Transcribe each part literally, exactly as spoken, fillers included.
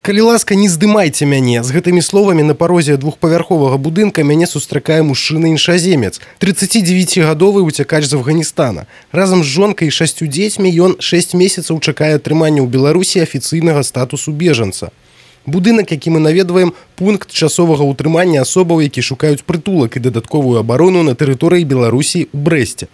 Калі ласка, не здымайце мяне. З гэтымі словамі на парозе двухпавярховага будынка мяне сустракае мужчына-іншаземец, трыццацідзевяцігадовы уцякач з Афганістана. Разам з жонкай і шасцю дзецьмі ён шэсць месяцаў чакае атрымання ў Беларусі афіцыйнага статусу бежанца. Будынак, які мы наведваем, пункт часовага ўтрымання асобаў, які шукаюць прытулак і дадатковую абарону на тэрыторыі Беларусі ў Брэсце.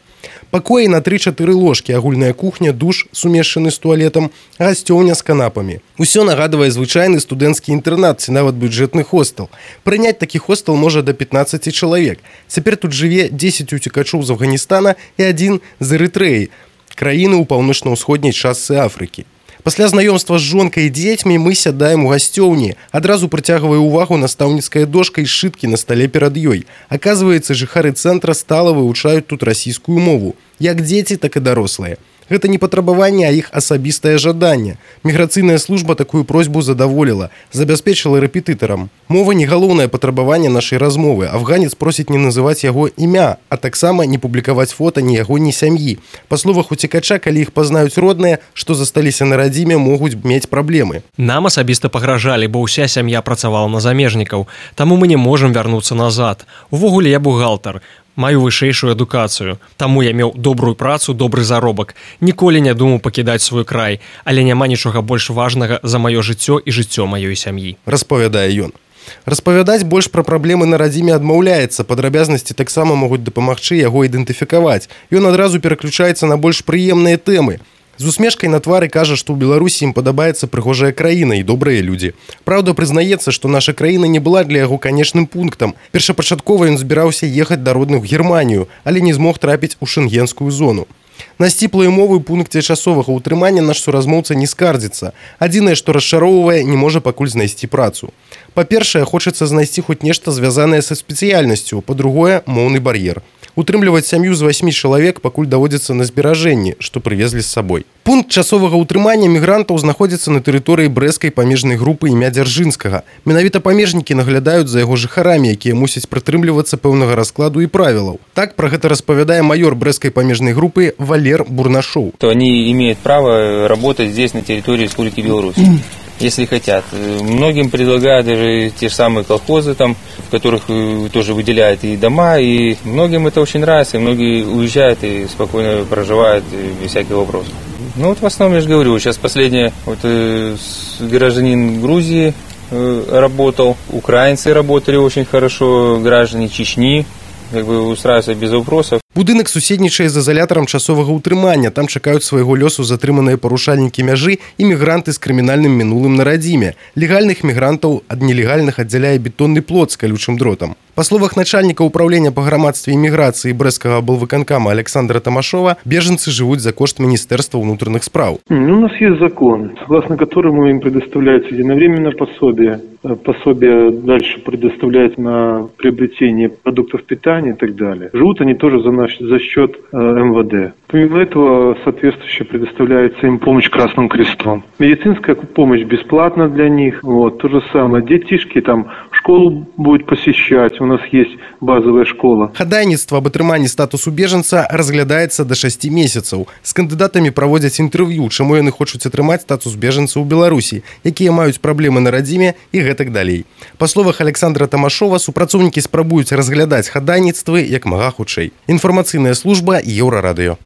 Пакоі на тры-чатыры ложкі, агульная кухня, душ, сумешчаны з туалетам, гасцёўня з канапамі. Усё нагадвае звычайны студэнцкі інтэрнат ці нават бюджэтны хостел. Прыняць такі хостел можа да пятнаццаці чалавек. Цяпер тут жыве дзесяць уцекачоў з Афганістана і адзін з Эрытрэі, краіны ў паўночна-ўсходняй частцы Афрыкі. Пасля знаёмства з жонкай і дзецьмі мы сядаем у гасцёўні. Адразу прыцягвае ўвагу настаўніцкая дошка і сшыткі на стале перад ёй. Аказваецца, жыхары цэнтра стала вывучаюць тут расійскую мову. Як дзеці, так і дарослыя. Гэта не патрабаванне, а іх асабістае жаданне. Міграцыйная служба такую просьбу задаволіла, забяспечыла рэпетытарам. Мова не галоўнае патрабаванне нашай размовы. Афганец просіць не называць яго імя, а таксама не публікаваць фота ні яго, ні сям'і. Па словах уцекача, калі іх пазнаюць родныя, што засталіся на радзіме, могуць мець праблемы. Нам асабіста пагражалі, бо ўся сям'я працавала на замежнікаў, таму мы не можам вярнуцца назад. Увогуле я бухгалтар. Маю вышэйшую адукацыю. Таму я меў добрую працу, добры заробак. Ніколі не думаў пакідаць свой край, але няма нічога больш важнага за маё жыццё і жыццё маёй сям'і. Распавядае ён. Распавядаць больш пра праблемы на радзіме адмаўляецца, падрабязнасці таксама могуць дапамагчы яго ідэнтыфікаваць. Ён адразу пераключаецца на больш прыемныя тэмы. З усмешкай на твары кажа, што ў Беларусі ім падабаецца прыгожая краіна і добрыя людзі. Праўда, прызнаецца, што наша краіна не была для яго канечным пунктам. Першапачаткова ён збіраўся ехаць да родных у Германію, але не змог трапіць у шэнгенскую зону. На сціплыя умовы ў пункце часовага ўтрымання наш суразмоўца не скардзіцца. Адзінае, што расчароўвае, не можа пакуль знайсці працу. Па-першае, хочацца знайсці хоць нешта звязанае са спецыяльнасцю, па-другое, моўны бар'ер. Утрымліваць сям'ю з васьмі чалавек пакуль даводзіцца на зберажэнні, што прывезлі з сабой. Пункт часовага ўтрымання мігрантаў знаходзіцца на тэрыторыі брэскай памежнай групы імя Дзяржынскага. Менавіта памежнікі наглядаюць за яго жыхарамі, якія мусяць прытрымлівацца пэўнага раскладу і правілаў. Так пра гэта распавядае маёр брэскай памежнай групы Валер Бурнашоў. Они имеют право работать здесь, на территории Республики Беларусь, если хотят. Многим предлагают даже те же самые колхозы, там, в которых тоже выделяют и дома, и многим это очень нравится, и многие уезжают и спокойно проживают без всяких вопросов. Ну вот в основном, я же говорю, сейчас последнее, вот э, гражданин Грузии э, работал, украинцы работали очень хорошо, граждане Чечни, как бы устраиваются без вопросов. Будынак суседнічае з изолятарам часовага ўтрымання. Там чакаюць свайго лёсу затрыманыя парушальнікі мяжы і мігранты з крымінальным мінулым на радзіме. Легальных мігрантаў ад нелегальных аддзяляе бетонны плот з калючым дротам. Па словах начальніка ўправлення па грамадстве і міграцыі брэскага аблвыканкама Александра Тамашова, беженцы жывуць за кошт Министерства внутренних справ. Ну, у нас есть закон, согласно которому им предоставляется единовременное пособие. Пособие дальше предоставляется на приобретение продуктов питания и так далее. Живут они тоже за, наш, за счет э, эм вэ дэ. Помимо этого, соответствующе предоставляется им помощь Красным Крестом. Медицинская помощь бесплатна для них. Вот, то же самое. Детишки там школу будут посещать. У нас есть базовая школа. Хадайніцтва аб атрыманні статусу бежанца разглядаецца да шасці месяцаў. З кандыдатамі праводзяць інтэрв'ю, чаму яны хочуць атрымаць статус бежанца ў Беларусі, якія маюць праблемы на радзіме і гэтак далей. Па словах Александра Тамашова, супрацоўнікі спрабуюць разглядаць хадайніцтвы як мага хутчэй. Інфармацыйная служба Еўрарадыё.